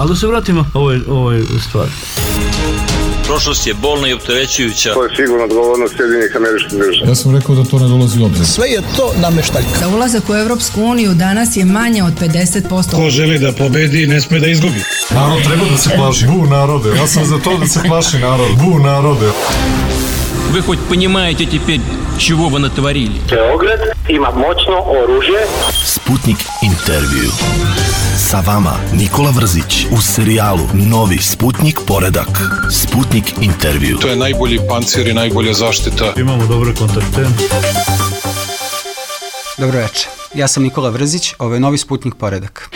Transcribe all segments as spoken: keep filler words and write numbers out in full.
Ali da se vratimo ovoj, ovoj stvari. Prošlost je bolna i opterećujuća. To je sigurno odgovornost Sjedinjenih Američkih Država. Ja sam rekao da to ne dolazi u obzir. Sve je to nameštaljka. Za ulazak u Evropsku uniju danas je manje od pedeset posto. Ko želi da pobedi, ne sme da izgubi. Narod treba da se plaši. Bu narode. Ja sam za to da se plaši narod. Bu narode. Вы хоть понимаете теперь, чего вы натворили? Beograd ima moćno oružje. Sputnik intervju. Sa vama Nikola Vrzić u serijalu Novi Sputnik poredak. Sputnik intervju. To je najbolji pancir i najbolja zaštita. Imamo dobre kontakte. Dobro večer. Ja sam Nikola Vrzić, ovo je Novi Sputnik poredak.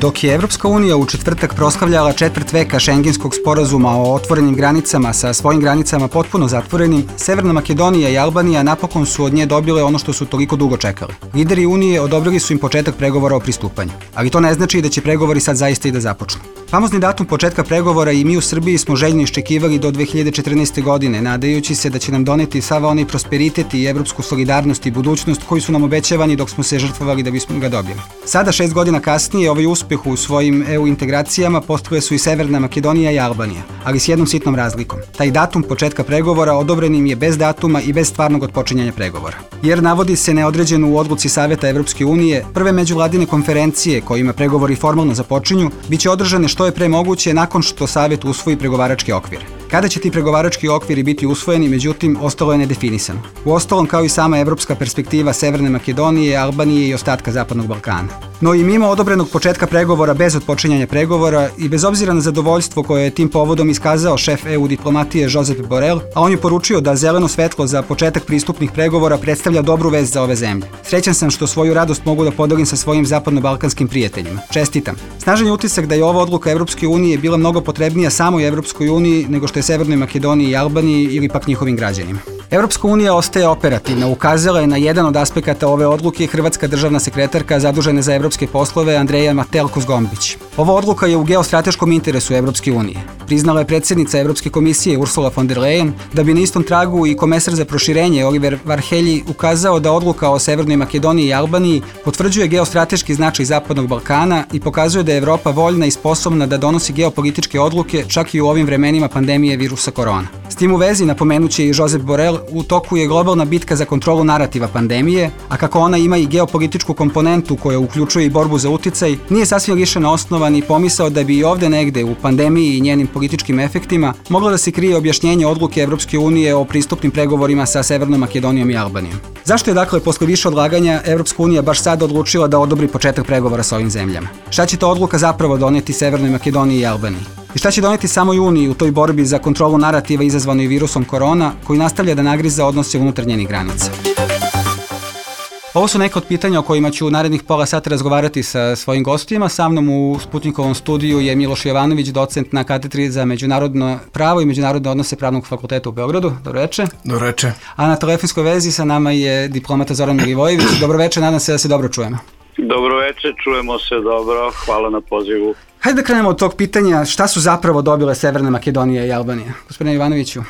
Dok je Evropska unija u četvrtak proslavljala četvrt veka šengenskog sporazuma o otvorenim granicama sa svojim granicama potpuno zatvorenim, Severna Makedonija i Albanija napokon su od nje dobile ono što su toliko dugo čekali. Lideri Unije odobrili su im početak pregovora o pristupanju, ali to ne znači da će pregovori sad zaista i da započnu. Famozni datum početka pregovora i mi u Srbiji smo željno iščekivali do dve hiljade četrnaeste. godine, nadajući se da će nam doneti sav onaj prosperitet i evropsku solidarnost i budućnost koji su nam obećavani dok smo se žrtvovali da bismo ga dobili. Sada, šest godina kasnije, ovaj uspeh u svojim E U integracijama postavile su i Severna Makedonija i Albanija, ali s jednom sitnom razlikom. Taj datum početka pregovora odobren im je bez datuma i bez stvarnog otpočinjanja pregovora. Jer navodi se neodređeno u odluci Saveta Evropske unije, prve međuvladine konferencije kojima pregovori formalno započinju, bit će održane što je pre moguće nakon što Savet usvoji pregovarački okvir. Kada će ti pregovarački okviri biti usvojeni, međutim, ostalo je nedefinisano. Uostalom, kao i sama evropska perspektiva Severne Makedonije, Albanije i ostatka Zapadnog Balkana. No i mimo odobrenog početka pregovora bez otpočinjanja pregovora i bez obzira na zadovoljstvo koje je tim povodom iskazao šef E U diplomatije Josep Borrell, a on je poručio da zeleno svetlo za početak pristupnih pregovora predstavlja dobru vest za ove zemlje. Srećan sam što svoju radost mogu da podelim sa svojim zapadno-balkanskim prijateljima. Čestitam. Snažan je utisak da je ova odluka Evropske unije bila mnogo potrebnija samoj Evropskoj uniji nego što je Severnoj Makedoniji i Albaniji ili pak njihovim građanima. Evropska unija ostaje operativna, ukazala je na jedan od aspekata ove odluke hrvatska državna sekretarka zadužena za evropske poslove Andreja Matelko-Zgombić. Ova odluka je u geostrateškom interesu Evropske unije. Priznala je predsjednica Evropske komisije Ursula von der Leyen, da bi na istom tragu i komesar za proširenje Oliver Varhelyi ukazao da odluka o Severnoj Makedoniji i Albaniji potvrđuje geostrateški značaj Zapadnog Balkana i pokazuje da je Evropa voljna i sposobna da donosi geopolitičke odluke čak i u ovim vremenima pandemije virusa korona. S tim u vezi napomenuće i Josep Borrell, u toku je globalna bitka za kontrolu narativa pandemije, a kako ona ima i geopolitičku komponentu koja uključuje i borbu za uticaj, nije sasvim lišena osnova ni pomisao da bi i ovde negde u pandemiji i njenim političkim efektima moglo da se krije objašnjenje odluke Evropske unije o pristupnim pregovorima sa Severnom Makedonijom i Albanijom. Zašto je dakle posle više odlaganja Evropska unija baš sad odlučila da odobri početak pregovora sa ovim zemljama? Šta će ta odluka zapravo doneti Severnoj Makedoniji i Albaniji? I šta će doneti samoj Uniji u toj borbi za kontrolu narativa izazvanoj virusom korona, koji nastavlja da nagriza odnose unutar njenih granica? Ovo su neka od pitanja o kojima ću u narednih pola sata razgovarati sa svojim gostima. Sa mnom u Sputnikovom studiju je Miloš Jovanović, docent na katedri za međunarodno pravo i međunarodne odnose Pravnog fakulteta u Beogradu. Dobro večer. Dobro večer. A na telefonskoj vezi sa nama je diplomata Zoran Milivojević. Dobro večer, nadam se da se dobro čujemo. Dobro večer, čujemo se dobro, hvala na pozivu. Hajde da krenemo od tog pitanja, šta su zapravo dobile Severna Makedonija i Albanija? Gospodine Jovanoviću.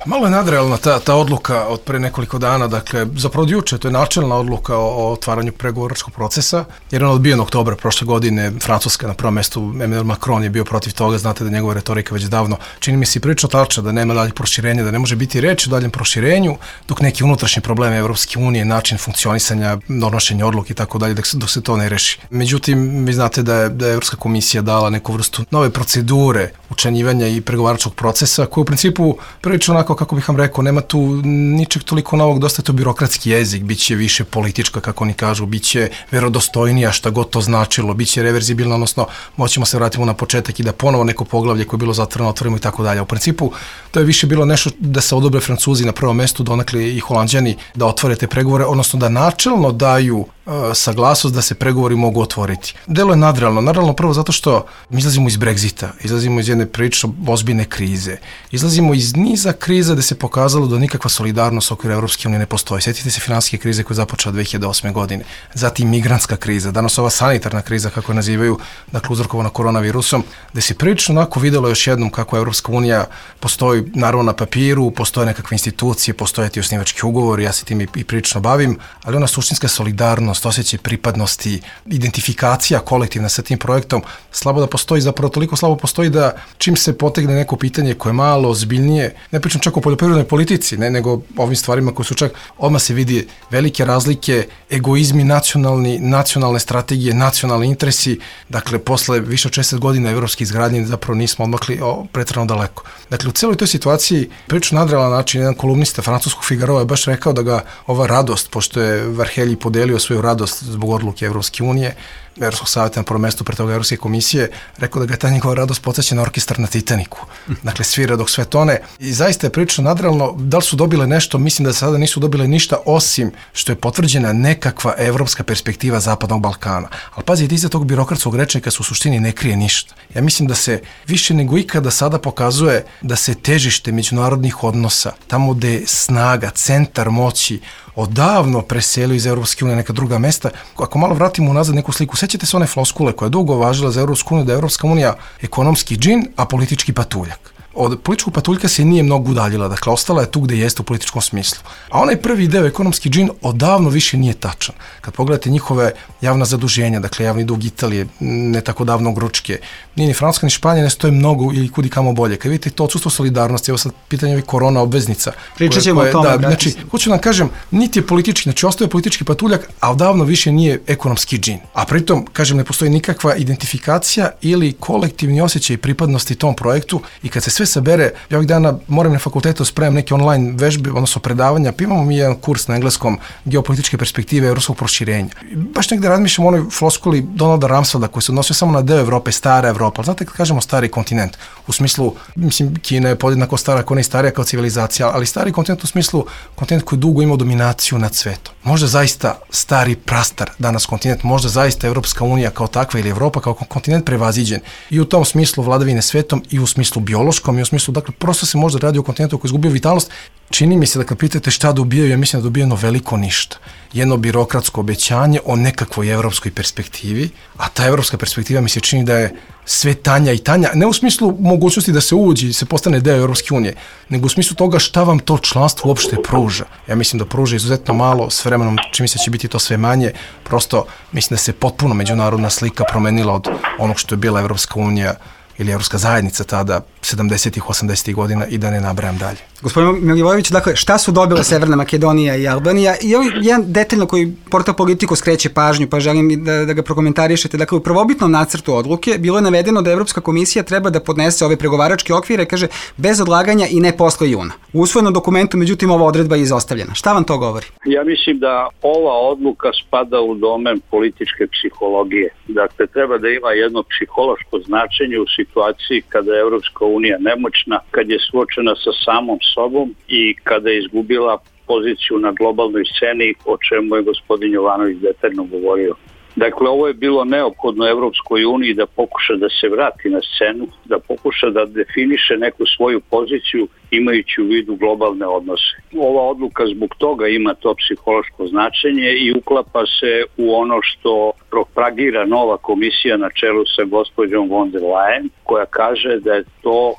Malo je nadrealna ta, ta odluka od pre nekoliko dana, dakle, zapravo od juče, to je načelna odluka o, o otvaranju pregovaračkog procesa, jer on odbijen oktobra prošle godine, Francuska na prvom mestu, Emmanuel Macron je bio protiv toga, znate da njegova retorika već davno, čini mi se prilično tačna, da nema daljeg proširenja, da ne može biti reč o daljem proširenju, dok neki unutrašnji probleme Evropske unije, način funkcionisanja, donošenja odluke i tako dalje, dok se, dok se to ne reši. Međutim, vi znate da je, da je Evropska komisija dala neku vrstu nove procedure učlanjivanja i pregovaračkog procesa, koji u principu prilično onako, kako bih vam rekao, nema tu ničeg toliko novog, dosta je to birokratski jezik, bit će više politička, kako oni kažu, bit će verodostojnija, šta god to značilo, bit će reverzibilna, odnosno moćemo se vratimo na početak i da ponovo neko poglavlje koje je bilo zatvoreno otvorimo i tako dalje. U principu, to je više bilo nešto da se odobre Francuzi na prvom mestu, donekle i Holanđani da otvore te pregovore, odnosno da načelno daju saglasnost da se pregovori mogu otvoriti. Delo je nadrealno. Nadrealno prvo zato što mi izlazimo iz Brexita, izlazimo iz jedne prilično ozbiljne krize, izlazimo iz niza kriza gde se pokazalo da nikakva solidarnost okvira Evropske unije ne postoji. Sjetite se finansijske krize koja je započela dve hiljade osme. godine. Zatim migrantska kriza, danas ova sanitarna kriza, kako je nazivaju, dakle uzrokovana koronavirusom, gde se prilično onako videlo još jednom kako Evropska unija postoji naravno na papiru, postoje nekakve institucije, postoje ti osnivački ugovori, ja se tim i, i prilično bavim, ali ona suštinska solidarnost identičnost, osjećaj pripadnosti, identifikacija kolektivna sa tim projektom, slabo da postoji, zapravo toliko slabo postoji da čim se potegne neko pitanje koje je malo ozbiljnije, ne pričam čak o poljoprivrednoj politici, ne, nego ovim stvarima koje su čak, odmah se vidi velike razlike, egoizmi nacionalni, nacionalne strategije, nacionalni interesi, dakle, posle više od šezdeset godina evropske izgradnje zapravo nismo odmakli pretrano daleko. Dakle, u celoj toj situaciji, priču na nadrealan način, jedan kolumnista francuskog Figarova je baš rekao da ga ova radost, pošto je Varhelji podelio svoju radost zbog odluke Evropske unije, Evropskog savjeta na prvom mestu, pre toga Evropske komisije, rekao da ga je ta njegova radost podsjeća na orkestar na Titaniku. Dakle, svira dok sve tone. I zaista je prilično nadrealno, da li su dobile nešto, mislim da sada nisu dobile ništa, osim što je potvrđena nekakva evropska perspektiva Zapadnog Balkana. Ali pazite, iza tog birokratskog rečnika se u suštini ne krije ništa. Ja mislim da se više nego ikada sada pokazuje da se težište međunarodnih odnosa, tamo gde je snaga, centar moći, odavno preselio iz Evropske unije neka druga mesta. Ako malo vratimo unazad neku sliku, sećate se one floskule koja je dugo važila za Evropsku uniju, da je Evropska unija ekonomski džin, a politički patuljak. Od političkog patuljka se nije mnogo udaljila, dakle, ostala je tu gde jeste u političkom smislu. A onaj prvi deo, ekonomski džin, odavno više nije tačan. Kad pogledate njihove javna zaduženja, dakle, javni dug Italije, ne tako davno Grčke, nije ni Francuska ni Španija, ne stoje mnogo ili kudi kamo bolje. Kad vidite to odsustvo solidarnosti, evo sad pitanje ovih korona obveznica. Pričat ćemo o tome. Da, znači, hoću nam kažem, niti je politički, znači ostaje politički patuljak, a odavno više nije ekonomski džin. A pritom, kažem, ne postoji nikakva identifikacija ili kolektivni osjećaj pripadnosti tom projektu i kad se sve sabere, ja ovih dana moram na fakultetu spremam neke online vežbe, odnosno predavanja, pa imamo mi jedan kurs na engleskom geopolitičke perspektive evropskog proširenja. Baš negde razmišljam o onoj floskuli Donalda Rumsfelda koji se odnosio samo na deo Evrope, stara Evropa. Znate kad kažemo stari kontinent, u smislu, mislim, Kina je podjednako stara, ako ne i starija kao civilizacija, ali stari kontinent u smislu kontinent koji dugo imao dominaciju nad svetom. Možda zaista stari prastar danas kontinent, možda zaista Evropska unija kao takva ili Evropa kao kontinent prevaziđen i u tom smislu vladavine svetom i u smislu biološkom i u smislu, dakle, prosto se možda radi o kontinentu koji izgubio vitalnost. Čini mi se da kad pitate šta dobijaju, ja mislim da dobijeno veliko ništa. Jedno birokratsko obećanje o nekakvoj evropskoj perspektivi, a ta evropska perspektiva mi se čini da je sve tanja i tanja, ne u smislu mogućnosti da se uđi i se postane deo Evropske unije, nego u smislu toga šta vam to članstvo uopšte pruža. Ja mislim da pruža izuzetno malo, s vremenom čini mi se će biti to sve manje, prosto mislim da se potpuno međunarodna slika promenila od onog što je bila Evropska unija ili Evropska zajednica tada sedamdesetih, osamdesetih godina i da ne nabrajam dalje. Gospodin Milivojević, dakle, šta su dobile Severna Makedonija i Albanija? I ovo je jedan detaljno koji portal Politico skreće pažnju, pa želim da, da ga prokomentarišete. Dakle, u prvobitnom nacrtu odluke bilo je navedeno da Evropska komisija treba da podnese ove pregovaračke okvire, kaže, bez odlaganja i ne posle juna. U usvojenom dokumentu, međutim, ova odredba je izostavljena. Šta vam to govori? Ja mislim da ova odluka spada u domen političke psihologije. Dakle, treba da ima jedno psihološko značenje u situaciji kada je Evropska unija nemoćna, kad je suočena sa samom sobom i kada je izgubila poziciju na globalnoj sceni, o čemu je gospodin Jovanović detaljno govorio. Dakle, ovo je bilo neophodno Evropskoj uniji da pokuša da se vrati na scenu, da pokuša da definiše neku svoju poziciju imajući u vidu globalne odnose. Ova odluka zbog toga ima to psihološko značenje i uklapa se u ono što propagira nova komisija na čelu sa gospođom von der Leyen, koja kaže da je to e,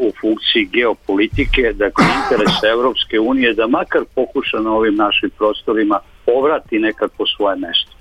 u funkciji geopolitike, dakle interesa Evropske unije da makar pokuša na ovim našim prostorima povrati nekako svoje mesto.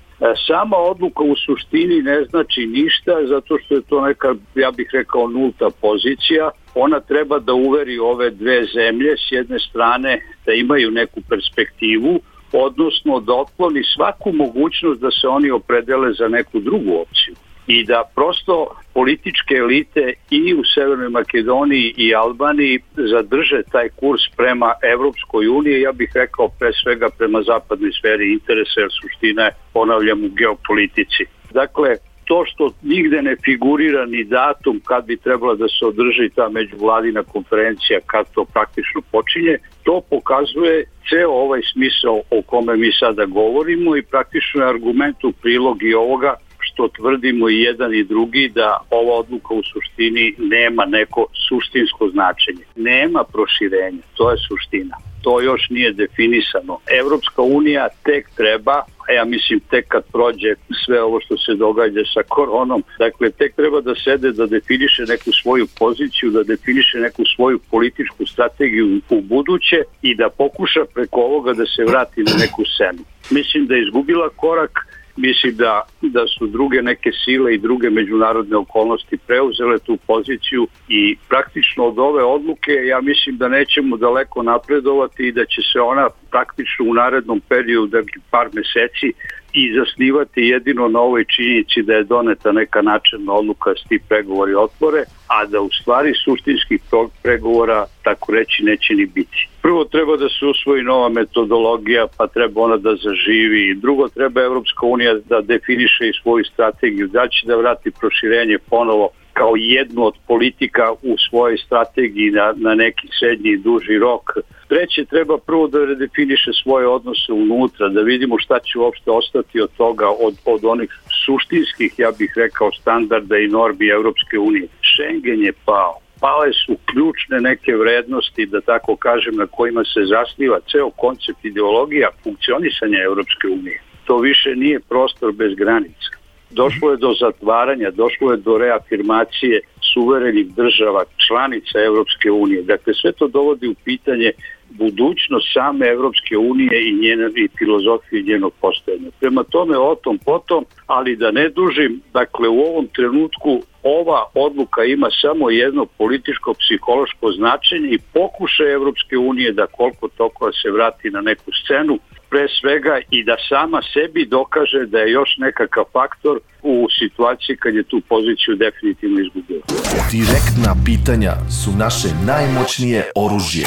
Sama odluka u suštini ne znači ništa zato što je to neka, ja bih rekao, nulta pozicija. Ona treba da uveri ove dve zemlje s jedne strane da imaju neku perspektivu, odnosno da otkloni svaku mogućnost da se oni opredele za neku drugu opciju. I da prosto političke elite i u Severnoj Makedoniji i Albaniji zadrže taj kurs prema Evropskoj uniji, ja bih rekao pre svega prema zapadnoj sferi interesa, jer suština je, ponavljam, u geopolitici. Dakle, to što nigde ne figurira ni datum kad bi trebala da se održi ta međuvladina konferencija, kad to praktično počinje, to pokazuje ceo ovaj smisao o kome mi sada govorimo i praktično je argument u prilog i ovoga što tvrdimo i jedan i drugi da ova odluka u suštini nema neko suštinsko značenje. Nema proširenja, to je suština. To još nije definisano. Evropska unija tek treba, a ja mislim tek kad prođe sve ovo što se događa sa koronom, dakle tek treba da sede da definiše neku svoju poziciju, da definiše neku svoju političku strategiju u buduće i da pokuša preko ovoga da se vrati na neku scenu. Mislim da je izgubila korak, mislim da, da su druge neke sile i druge međunarodne okolnosti preuzele tu poziciju i praktično od ove odluke ja mislim da nećemo daleko napredovati i da će se ona praktično u narednom periodu, dakle par meseci, i zasnivati jedino na ovoj činjenici da je doneta neka načelna odluka da se ti pregovori otvore, a da u stvari suštinskih pregovora, tako reći, neće ni biti. Prvo treba da se usvoji nova metodologija, pa treba ona da zaživi. Drugo, treba Evropska unija da definiše i svoju strategiju, da će da vrati proširenje ponovo kao jednu od politika u svojoj strategiji na, na neki srednji i duži rok. Treće, treba prvo da redefiniše svoje odnose unutra, da vidimo šta će uopšte ostati od toga, od, od onih suštinskih, ja bih rekao, standarda i normi Evropske unije. Schengen je pao. Pale su ključne neke vrednosti, da tako kažem, na kojima se zasniva ceo koncept ideologija funkcionisanja Evropske unije. To više nije prostor bez granica. Došlo je do zatvaranja, došlo je do reafirmacije suverenih država, članica Evropske unije. Dakle, sve to dovodi u pitanje budućnost same Evropske unije i njene i filozofije njenog postojanja. Prema tome, o tom potom, ali da ne dužim, dakle, u ovom trenutku ova odluka ima samo jedno političko-psihološko značenje i pokušaj Evropske unije da koliko toliko se vrati na neku scenu, pre svega i da sama sebi dokaže da je još nekakav faktor u situaciji kad je tu poziciju definitivno izgubila. Direktna pitanja su naše najmoćnije oružje.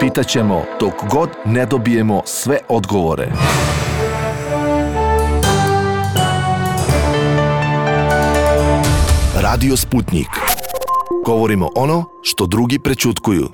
Pitaćemo dok god ne dobijemo sve odgovore. Radio Sputnik. Govorimo ono što drugi prećutkuju.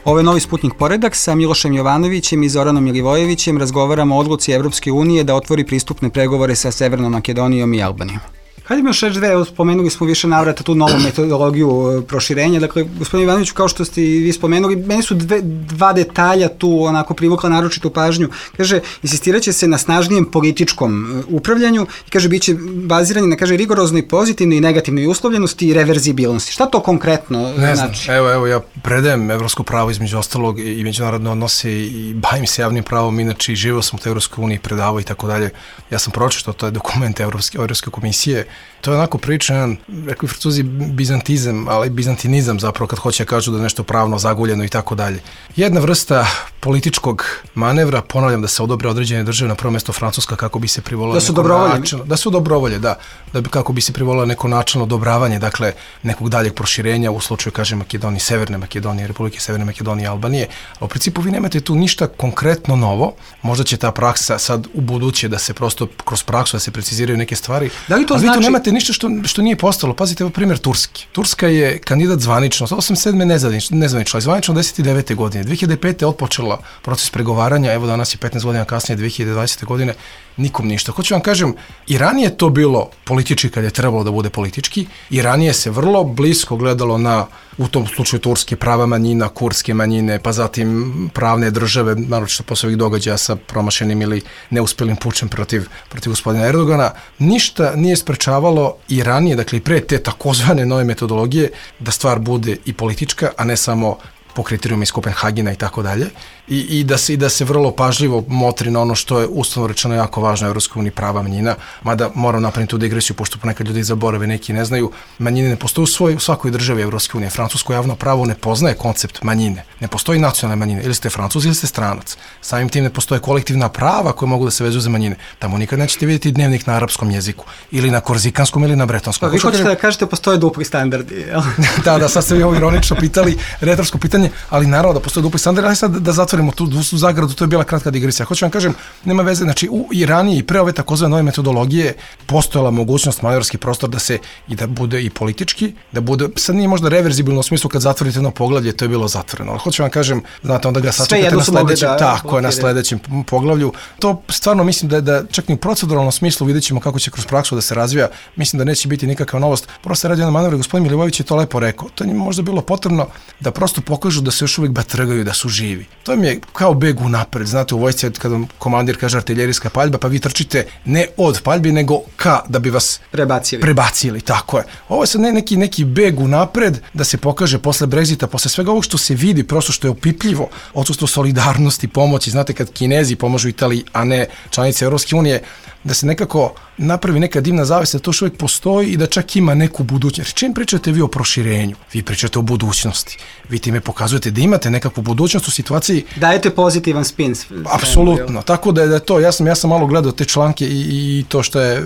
Ovo je novi Sputnik poredak. Sa Milošem Jovanovićem i Zoranom Milivojevićem razgovaramo o odluci Evropske unije da otvori pristupne pregovore sa Severnom Makedonijom i Albanijom. Hajde mi još reći dve, spomenuli smo više navrata tu novu metodologiju proširenja. Dakle, gospodin Ivanoviću, kao što ste i vi spomenuli, meni su dve, dva detalja tu onako privukla naročitu pažnju. Kaže, insistirat će se na snažnijem političkom upravljanju i kaže, bit će bazirani na, kaže, rigoroznoj pozitivnoj i negativnoj uslovljenosti i reverzibilnosti. Šta to konkretno ne znači? Znam, evo, evo, ja predajem evropsko pravo između ostalog i međunarodne odnose i bavim se javnim pravom, inače i živio sam u Evropskoj uniji, predavao i tako dalje. Ja sam pročitao, to je dokument Evropske, Evropske komisije. To je onako priča, jedan, rekli Francuzi, bizantizam, ali bizantinizam zapravo kad hoće kažu da je nešto pravno zaguljeno i tako dalje. Jedna vrsta političkog manevra, ponavljam da se odobre određene države, na prvo mjesto Francuska, kako bi se privolila da su dobrovolje. Da su dobrovolje, da. Da bi, kako bi se privolila neko načelno odobravanje, dakle, nekog daljeg proširenja u slučaju, kaže, Makedonije, Severne Makedonije, Republike Severne Makedonije i Albanije. A u principu vi nemate tu ništa konkretno novo. Možda će ta praksa sad u buduće da se prosto kroz praksu da se preciziraju neke stvari. Da li to ali znači... vi tu nemate ništa što, što nije postalo. Pazite, evo primjer Turski. Turska je kandidat zvanično, osamdeset sedme nezvanično, nezvanično, ali zvanično devedeset devete godine. dve hiljade pete otpočela proces pregovaranja, evo danas je petnaest godina kasnije, dve hiljade dvadesete godine, nikom ništa. Hoću vam kažem, i ranije to bilo politički kad je trebalo da bude politički, i ranije se vrlo blisko gledalo na, u tom slučaju Turske, prava manjina, kurske manjine, pa zatim pravne države, naročito posle ovih događaja sa promašenim ili neuspjelim pučem protiv, protiv gospodina Erdogana. Ništa nije sprečavalo i ranije, dakle i pre te takozvane nove metodologije, da stvar bude i politička, a ne samo po kriterijuma iz Kopenhagena i tako dalje, i, i, da se, i da se vrlo pažljivo motri na ono što je ustavno rečeno jako važno Evropskoj uniji, prava manjina, mada moram napraviti tu digresiju, pošto ponekad ljudi zaborave, neki ne znaju, manjine ne postoje u, svoj, u svakoj državi Evropske unije. Francusko javno pravo ne poznaje koncept manjine, ne postoji nacionalne manjine, ili ste Francuz ili ste stranac. Samim tim ne postoje kolektivna prava koje mogu da se vezuju za manjine. Tamo nikad nećete vidjeti dnevnik na arapskom jeziku, ili na korzikanskom, ili na bretonskom. Pa vi hoćete da kažete postoje dupli standardi, jel? Da, da, sad ste vi ovo ironično pitali, retorsko pitanje, ali naravno da postoje dupli standardi, ali sad da zatvorimo tu, tu zagradu, to je bila kratka digresija. Hoću vam kažem, nema veze, znači u Iraniji i pre ove takozvane nove metodologije postojala mogućnost, manevarski prostor da se i da bude i politički, da bude, sad nije možda reverzibilno u smislu kad zatvorite jedno poglavlje, to je bilo zatvoreno, ali hoću vam kažem, znate, onda ga sačekate na sledećem, da, tako je, na sledećem poglavlju. To stvarno mislim da, da čak i u proceduralnom smislu vidjet ćemo kako će kroz praksu da se razvija, mislim da neće biti nikakva novost. Prosto radi jedan manevar, gospodin Milivojević je to lepo rekao. To je možda bilo potrebno da prosto pokažu da se još uvijek batrgaju, da su živi. To im je kao beg unapred. Znate, u vojsci kad vam komandir kaže artiljerijska paljba, pa vi trčite ne od paljbi, nego ka, da bi vas prebacili. Prebacili, tako je. Ovo je sad ne, neki, neki beg unapred, da se pokaže posle Brexita, posle svega ovog što se vidi, prosto što je opipljivo, odsustvo solidarnosti, pomoći. Znate, kad Kinezi pomažu Italiji, a ne članice Europske unije, da se nekako napravi neka dimna zavesa, da to još uvijek postoji i da čak ima neku budućnost. Čim pričate vi o proširenju? Vi pričate o budućnosti. Vi time pokazujete da imate nekakvu budućnost u situaciji. Dajete pozitivan spin. Apsolutno. Tako da je, da je to, ja sam, ja sam malo gledao te članke i, i to što je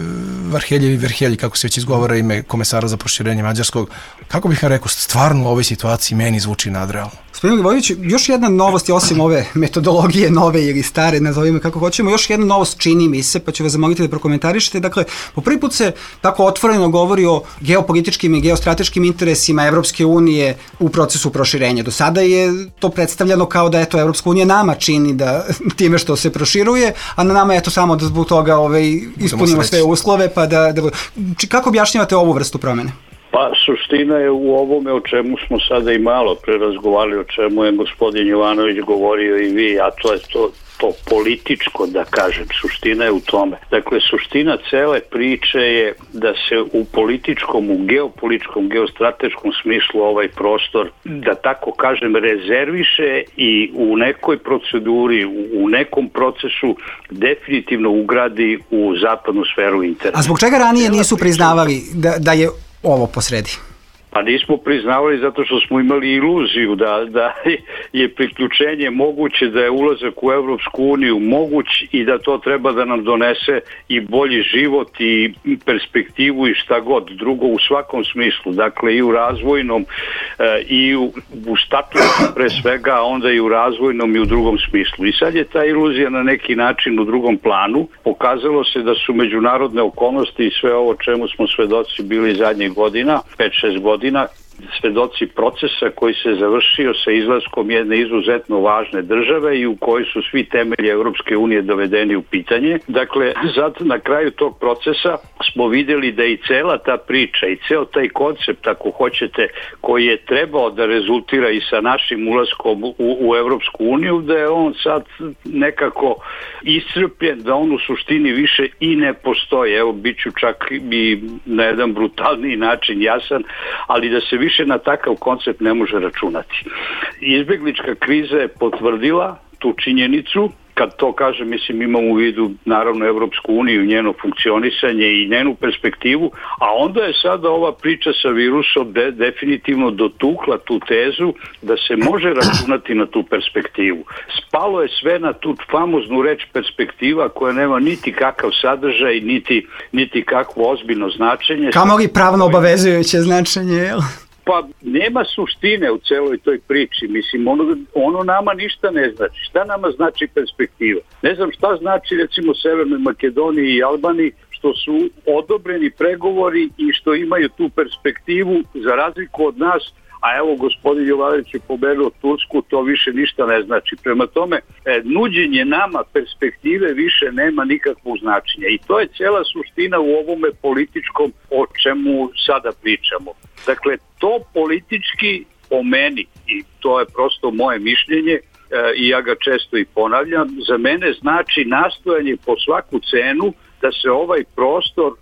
Varheljevi Verhelji, kako se već izgovara ime komesara za proširenje mađarskog, kako bih vam rekao, stvarno u ovoj situaciji meni zvuči nadrealno. Gospodin Livojević, još jedna novost je osim ove metodologije nove ili stare, nazovimo kako hoćemo, još jedna novost čini mi se, pa ću vas zamoliti da prokomentarišete. Dakle, po prvi put se tako otvoreno govori o geopolitičkim i geostrateškim interesima Evropske unije u procesu proširenja. Do sada je to predstavljeno kao da eto Evropska unija nama čini da time što se proširuje, a na nama je to samo da zbog toga ovaj, ispunimo sve uslove, pa da, da... Kako objašnjavate ovu vrstu promene? Pa suština je u ovome o čemu smo sada i malo prerazgovarali, o čemu je gospodin Jovanović govorio i vi, a to je to, to političko, da kažem, suština je u tome. Dakle, suština cele priče je da se u političkom, u geopolitičkom, geostrateškom smislu ovaj prostor, da tako kažem, rezerviše i u nekoj proceduri, u nekom procesu definitivno ugradi u zapadnu sferu interesa. A zbog čega ranije nisu priznavali da, da je ovo posredi? Pa nismo priznavali zato što smo imali iluziju da, da je priključenje moguće, da je ulazak u Evropsku uniju moguć i da to treba da nam donese i bolji život i perspektivu i šta god drugo u svakom smislu. Dakle i u razvojnom i u, u statusu pre svega, a onda i u razvojnom i u drugom smislu. I sad je ta iluzija na neki način u drugom planu. Pokazalo se da su međunarodne okolnosti i sve ovo čemu smo svedoci bili zadnjih godina, pet šest godina, svedoci procesa koji se završio sa izlaskom jedne izuzetno važne države i u kojoj su svi temelji Evropske unije dovedeni u pitanje. Dakle, zato na kraju tog procesa smo vidjeli da i cela ta priča i ceo taj koncept, ako hoćete, koji je trebao da rezultira i sa našim ulaskom u, u Evropsku uniju, da je on sad nekako iscrpljen, da on u suštini više i ne postoji. Evo, bit ću čak i na jedan brutalniji način jasan, ali da se više na takav koncept ne može računati. Izbeglička kriza je potvrdila tu činjenicu. Kad to kažem, mislim, imam u vidu naravno Evropsku uniju, njeno funkcionisanje i njenu perspektivu, a onda je sada ova priča sa virusom de, definitivno dotukla tu tezu da se može računati na tu perspektivu. Spalo je sve na tu famoznu reč perspektiva koja nema niti kakav sadržaj, niti, niti kakvo ozbiljno značenje. Kamo li pravno obavezujuće značenje, jel? Pa nema suštine u celoj toj priči, mislim, ono, ono nama ništa ne znači. Šta nama znači perspektiva? Ne znam šta znači recimo Severnoj Makedoniji i Albaniji, što su odobreni pregovori i što imaju tu perspektivu za razliku od nas, a evo gospodin Jovanović je pomenuo Tursku, to više ništa ne znači. Prema tome, e, nuđenje nama perspektive više nema nikakvog značenja i to je cijela suština u ovome političkom o čemu sada pričamo. Dakle, to politički po meni, i to je prosto moje mišljenje, e, i ja ga često i ponavljam, za mene znači nastojanje po svaku cenu da se ovaj prostor,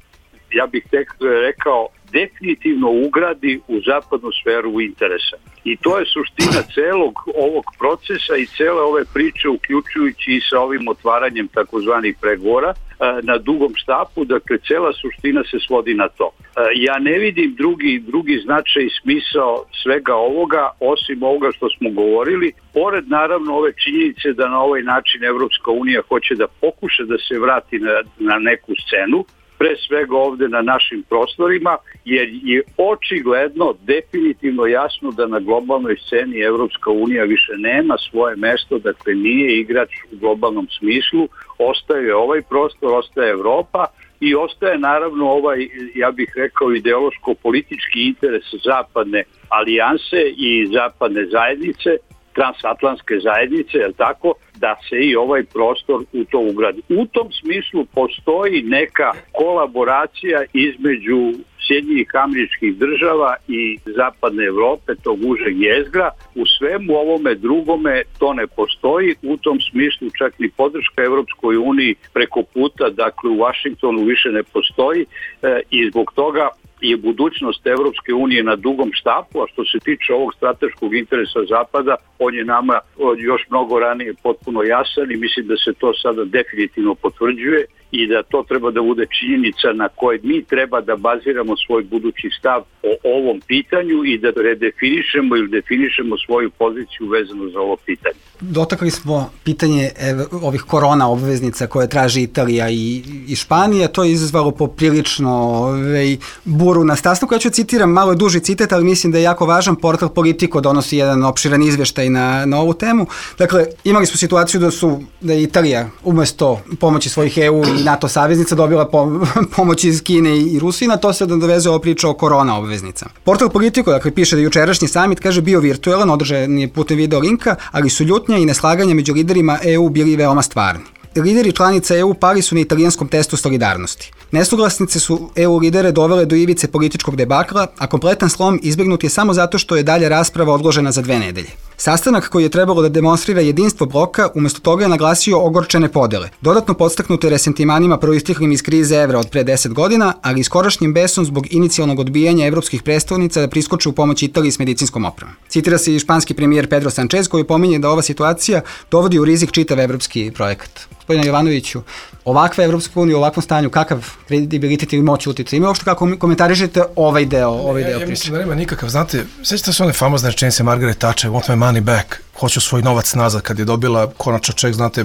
ja bih tek rekao, definitivno ugradi u zapadnu sferu interesa. I to je suština celog ovog procesa i cele ove priče, uključujući i sa ovim otvaranjem takozvanih pregovora na dugom štapu. Dakle, cela suština se svodi na to. Ja ne vidim drugi, drugi značaj i smisao svega ovoga, osim ovoga što smo govorili, pored naravno ove činjenice da na ovaj način Evropska unija hoće da pokuša da se vrati na, na neku scenu, pre svega ovde na našim prostorima, jer je očigledno, definitivno jasno da na globalnoj sceni Evropska unija više nema svoje mesto, dakle nije igrač u globalnom smislu, ostaje ovaj prostor, ostaje Evropa i ostaje naravno ovaj, ja bih rekao, ideološko-politički interes zapadne alijanse i zapadne zajednice, transatlantske zajednice, je li tako, da se i ovaj prostor u to ugradi. U tom smislu postoji neka kolaboracija između Sjedinjenih Američkih Država i Zapadne Evrope, tog užeg jezgra. U svemu ovome drugome to ne postoji, u tom smislu čak ni podrška Evropskoj uniji preko puta, dakle u Vašingtonu više ne postoji e, i zbog toga je budućnost Evropske unije na dugom štapu, a što se tiče ovog strateškog interesa Zapada, on je nama još mnogo ranije potpuno jasan i mislim da se to sada definitivno potvrđuje i da to treba da bude činjenica na kojoj mi treba da baziramo svoj budući stav o ovom pitanju i da redefinišemo ili definišemo svoju poziciju vezano za ovo pitanje. Dotakli smo pitanje ev, ovih korona obveznica koje traži Italija i, i Španija, to je izazvalo poprilično ovaj, buru na sastanku. Ja ću citiram malo duži citat, ali mislim da je jako važan. Portal Politico donosi jedan opširan izveštaj na, na ovu temu. Dakle, imali smo situaciju da su da je Italija umesto pomoći svojih E U i NATO saveznica dobila pomoć iz Kine i Rusije, na to se dovezuje ova priča o korona obveznica. Portal Politico, dakle, piše da jučerašnji samit, kaže, bio virtualan, održan je putem video linka, ali su ljutnja i neslaganja među liderima E U bili veoma stvarni. Lideri članica E U pali su na italijanskom testu solidarnosti. Nesuglasnice su E U lidere dovele do ivice političkog debakla, a kompletan slom izbjegnut je samo zato što je dalja rasprava odložena za dve nedelje. Sastanak koji je trebalo da demonstrira jedinstvo bloka, umjesto toga je naglasio ogorčene podele, dodatno podstaknute resentimanima proistiklim iz krize evra od pre deset godina, ali i skorašnjim besom zbog inicijalnog odbijanja evropskih predstavnica da priskoče u pomoć Italiji s medicinskom opremom. Citira se i španski premijer Pedro Sanchez koji pominje da ova situacija dovodi u rizik čitav evropski projekat. Gospodine Jovanoviću, ovakva Evropska unija u ovakvom stanju, kakav kredibilitet ili moć utiče? Ima uopšte kako komentarišete ovaj deo, ovaj deo ja, ja priče? Mislim da nema nikakav, znate, sećate se one famozne rečenice Margaret Thatcher, want my money back, hoću svoj novac nazad, kad je dobila konačno ček, znate,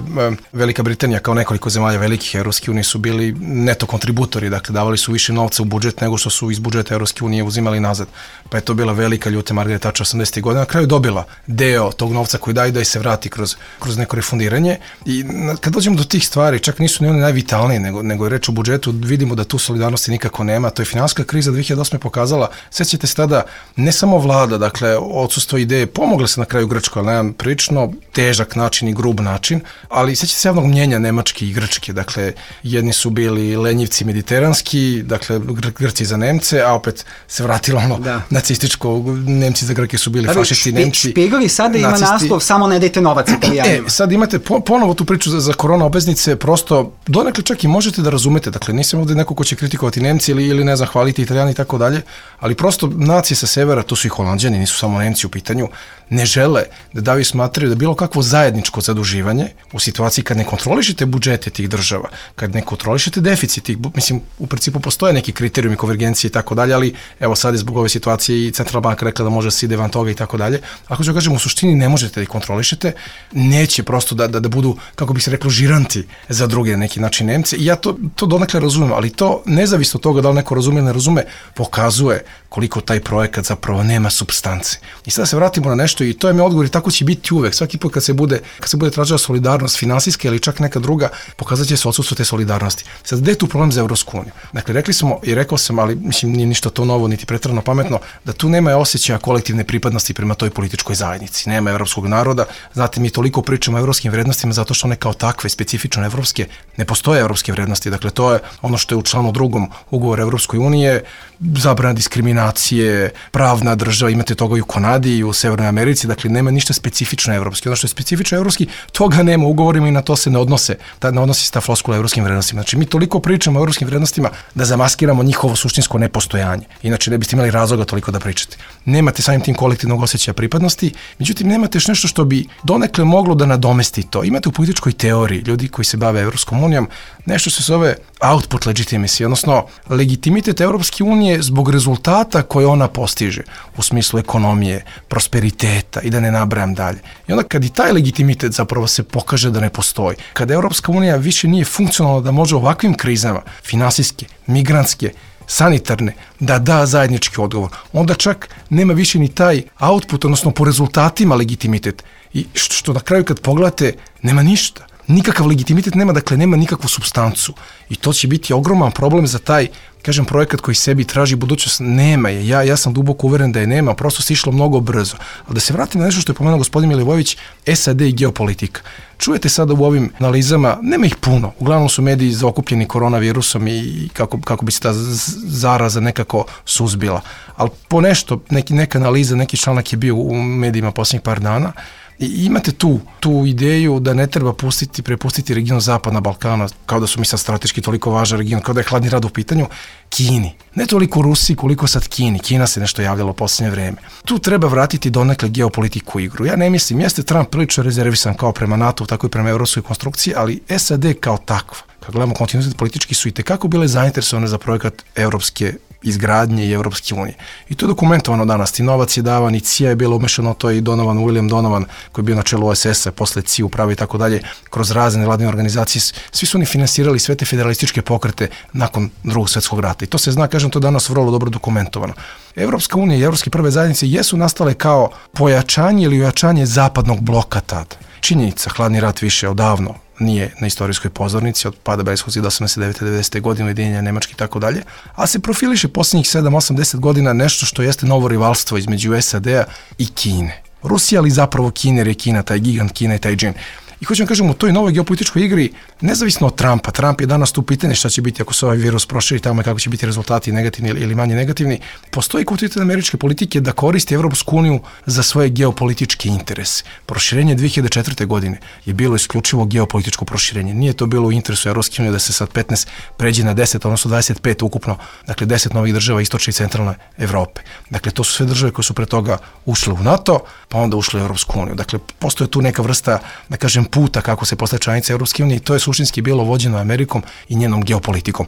Velika Britanija kao nekoliko zemalja velikih Evropske unije su bili neto kontributori, dakle davali su više novca u budžet nego što su iz budžeta Evropske unije uzimali nazad. Pa je to bila velika ljuta Margaret Thatcher osamdesetih godina, na kraju dobila deo tog novca koji daje da se vrati kroz, kroz neko refundiranje. I kad dođemo do tih stvari, čak nisu ni one najvitalnije, nego, nego je reč o budžetu, vidimo da tu solidarnosti nikako nema. To je finansijska kriza dve hiljade osme pokazala. Sećate se tada, ne samo vlada, dakle, odsustvo ideje, pomogle se na kraju Grčkoj, ali na jedan prilično težak način i grub način, ali sećate se javnog mnjenja Nemačke i Grčke, dakle, jedni su bili lenjivci mediteranski, dakle, Gr Grci za Nemce, a opet se vratilo ono da. nacističko, Nemci za Grke su bili fašisti, špi, Nemci. Špigli sada ima nacisti. Naslov, samo ne dajte novac Italijanima. E, sad imate po, ponovo tu priču za, za korona obveznice, prosto donekle čak i možete da razumete, dakle, nisam ovdje neko ko će kritikovati Nemci ili, ili ne znam, hvaliti Italijani i tako dalje, ali prosto nacije sa severa, to su i Holanđani, nisu samo Nemci u pitanju, ne žele da daju smatraju da bilo kakvo zajedničko zaduživanje u situaciji kad ne kontrolišete budžete tih država, kad ne kontrolišete deficit tih, mislim, u principu postoje neki kriterijumi konvergencije i tako dalje, ali evo sad je zbog ove situacije i Centralna banka rekla da može da se ide van toga i tako dalje. Ako ću kažem, u suštini ne možete da ih kontrolišete, neće prosto da, da, da budu, kako bi se reklo, žiranti za druge na neki način Nemce. I ja to, to donekle razumem, ali to nezavisno od toga da li neko razume ili ne razume, pokazuje koliko taj projekat zapravo nema supstance. I sada se vratimo na nešto i to je mi odgovor i tako će biti uvek. Svaki put kad se bude, kad se bude tražila solidarnost finansijska ili čak neka druga, pokazat će se odsustvo te solidarnosti. Sad, gde je tu problem za Evropsku uniju? Dakle, rekli smo i rekao sam, ali mislim nije ništa to novo, niti preterano pametno, da tu nema osjećaja kolektivne pripadnosti prema toj političkoj zajednici. Nema evropskog naroda. Znate, mi toliko pričamo o evropskim vrednostima zato što one kao takve, specifično evropske, ne postoje evropske vrednosti. Dakle, to je ono što je u članu drugom ugovora Evropskoj unije, zabrana diskriminacije, pravna država, imate toga i u Kanadi i u Severnoj Americi, dakle nema ništa specifično evropski. Ono što je specifično evropski, toga nema u ugovorima i na to se ne odnose, ta, ne odnosi se ta floskula evropskim vrednostima. Znači mi toliko pričamo o evropskim vrednostima da zamaskiramo njihovo suštinsko nepostojanje. Inače ne biste imali razloga toliko da pričate. Nemate samim tim kolektivnog osjećaja pripadnosti, međutim nemate još nešto što bi donekle moglo da nadomesti to. Imate u političkoj teoriji ljudi koji se bave Evropskom unijom nešto se zove output legitimacy, odnosno legitimitet Evropske unije zbog rezultata koje ona postiže u smislu ekonomije, prosperiteta i da ne nabrajam dalje. I onda kad i taj legitimitet zapravo se pokaže da ne postoji, kada Evropska unija više nije funkcionalna da može ovakvim krizama, finansijske, migrantske, sanitarne, da da zajednički odgovor, onda čak nema više ni taj output, odnosno po rezultatima legitimitet. I što, što na kraju kad pogledate, nema ništa. nikakav legitimitet nema, dakle nema nikakvu supstancu. I to će biti ogroman problem za taj, kažem, projekat koji sebi traži budućnost. Nema je. Ja, ja sam duboko uveren da je nema, prosto se išlo mnogo brzo. Ali da se vratim na nešto što je pomenuo gospodin Milivojević, S A D i geopolitika. Čujete sada u ovim analizama, nema ih puno, uglavnom su mediji zaokupljeni koronavirusom i kako, kako bi se ta zaraza nekako suzbila. Ali po nešto, neki, neka analiza, neki članak je bio u medijima posljednjih par dana. I imate tu, tu ideju da ne treba pustiti, prepustiti region Zapadna Balkana, kao da su mi sad strateški toliko važan region, kao da je hladni rat u pitanju, Kini. Ne toliko Rusiji koliko sad Kini. Kina se nešto javljalo u posljednje vreme. Tu treba vratiti donekle geopolitiku u igru. Ja ne mislim, jeste Trump prilično rezervisan kao prema NATO, tako i prema evropskoj konstrukciji, ali S A D kao takva, kad gledamo kontinuitet politički, su i tekako bile zainteresovane za projekat evropske izgradnje i Evropske unije. I to je dokumentovano danas. I novac je davan, i C I A je bilo umešano, to je i Donovan, William Donovan, koji je bio na čelu O S S-a, posle C I A upravi i tako dalje, kroz razne vladine organizacije. Svi su oni finansirali sve te federalističke pokrete nakon Drugog svjetskog rata. I to se zna, kažem, to danas vrlo dobro dokumentovano. Evropska unija i evropske prve zajednice jesu nastale kao pojačanje ili ojačanje zapadnog bloka tada. Činjenica, hladni rat više odavno nije na istorijskoj pozornici od pada Berlinskog zida osamdeset devete devedesete godine, ujedinjenja Nemačke i tako dalje, a se profiliše posljednjih sedam osam deset godina nešto što jeste novo rivalstvo između S A D-a i Kine. Rusija, ali zapravo Kine, jer je Kina, taj gigant Kina i taj džin. I hoćem da kažem, u toj novoj geopolitičkoj igri, nezavisno od Trumpa, Trump je danas tu pitanje šta će biti ako se ovaj virus proširi tamo i kako će biti rezultati negativni ili manje negativni, postoji kontinuitet američke politike da koristi Evropsku uniju za svoje geopolitičke interese. Proširenje dve hiljade četvrte. godine je bilo isključivo geopolitičko proširenje. Nije to bilo u interesu Evropske unije da se sad petnaest pređe na deset, odnosno dvadeset pet ukupno, dakle deset novih država istočne i centralne Evrope. Dakle, to su sve države koje su pre toga ušle u NATO, pa onda ušle u Evropsku uniju. Dakle, postoje tu neka vrsta, da kažem, puta kako se postaje članica Evropske unije i to je suštinski bilo vođeno Amerikom i njenom geopolitikom.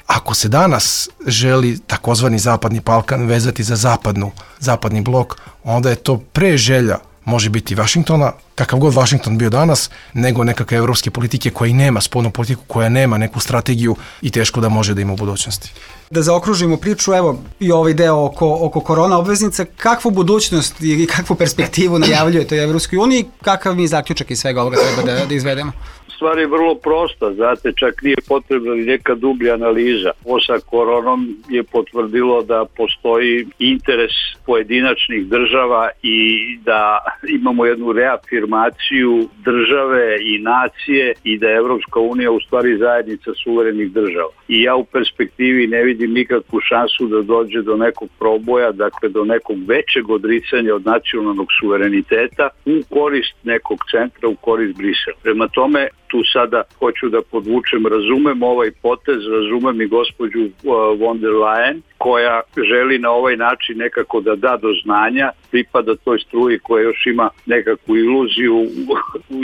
Ako se danas želi takozvani Zapadni Balkan vezati za zapadnu, zapadni blok, onda je to pre želja može biti Vašingtona, kakav god Vašington bio danas, nego nekakve evropske politike koja i nema spoljnu politiku, koja nema neku strategiju i teško da može da ima u budućnosti. Da zaokružimo priču, evo i ovaj deo oko, oko korona obveznica, kakvu budućnost i kakvu perspektivu najavljujete u Evropskoj uniji, kakav mi zaključak iz svega ovoga treba da, da izvedemo? Stvar je vrlo prosta, znate, čak nije potrebna ni neka dublja analiza. Ovo sa koronom je potvrdilo da postoji interes pojedinačnih država i da imamo jednu reafirmaciju države i nacije i da je Evropska unija u stvari zajednica suverenih država. I ja u perspektivi ne vidim nikakvu šansu da dođe do nekog proboja, dakle do nekog većeg odricanja od nacionalnog suvereniteta u korist nekog centra, u korist Brisela. Prema tome, tu sada hoću da podvučem, razumem ovaj potez, razumem i gospođu von der Leyen, koja želi na ovaj način nekako da da do znanja, pripada toj struji koja još ima nekakvu iluziju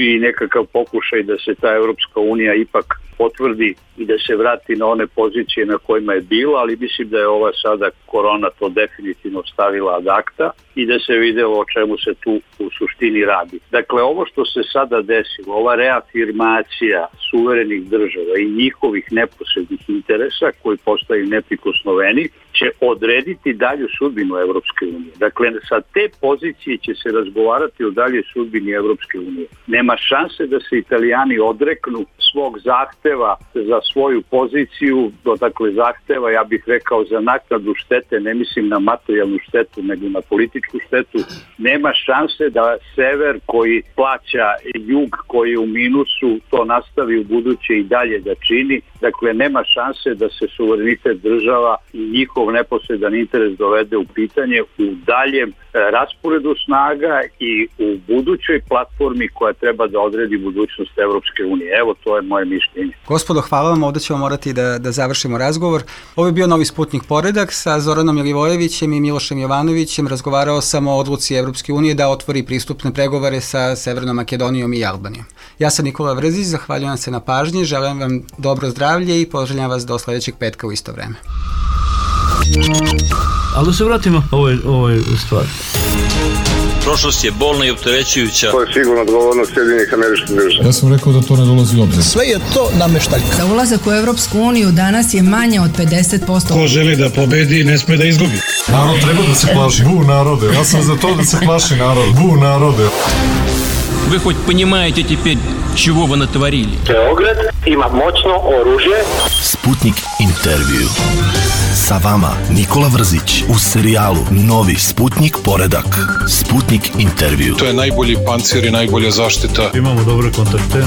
i nekakav pokušaj da se ta Evropska unija ipak potvrdi i da se vrati na one pozicije na kojima je bila, ali mislim da je ova sada korona to definitivno stavila ad acta i da se videlo o čemu se tu u suštini radi. Dakle, ovo što se sada desilo, ova reafirmacija suverenih država i njihovih neposrednih interesa koji postaju neprikosnoveni, će odrediti dalju sudbinu Evropske unije. Dakle, sa te pozicije će se razgovarati o daljoj sudbini Evropske unije. Nema šanse da se Italijani odreknu svog zahteva za svoju poziciju, dakle zahteva, ja bih rekao, za naknadu štete, ne mislim na materijalnu štetu, nego na političku štetu. Nema šanse da sever koji plaća jug koji je u minusu to nastavi u buduće i dalje da čini. Dakle, nema šanse da se suverenitet država i njihov neposredan interes dovede u pitanje u daljem rasporedu snaga i u budućoj platformi koja treba da odredi budućnost Evropske unije. Evo, to je moje mišljenje. Gospodo, hvala vam, ovdje ćemo morati da, da završimo razgovor. Ovo je bio Novi Sputnik Poredak sa Zoranom Milivojevićem i Milošem Jovanovićem. Razgovarao sam o odluci Evropske unije da otvori pristupne pregovore sa Severnom Makedonijom i Albanijom. Ja sam Nikola Vrzić, zahvaljujem se na pažnji, želim vam dobro zdravlje i poželjam vas do sljedećeg petka u isto vreme. Ali da se vratimo ovoj, ovoj stvari. Prošlost je bolna i opterećujuća. To je sigurno odgovornost Sjedinjenih Američkih Država. Ja sam rekao da to ne dolazi u obzir. Sve je to nameštaljka. Za ulazak u Evropsku uniju danas je manje od pedeset posto. Ko želi da pobedi, ne sme da izgubi. Narod treba da se plaši. Bu narode. Ja sam za to da se plaši narod. Bu narode. Вы хоть понимаете теперь, чего вы натворили? Beograd ima moćno oružje. Sputnik intervju. Sa vama Nikola Vrzić u serijalu Novi Sputnik poredak. Sputnik intervju. To je najbolji pancir i najbolja zaštita. Imamo dobre kontakte.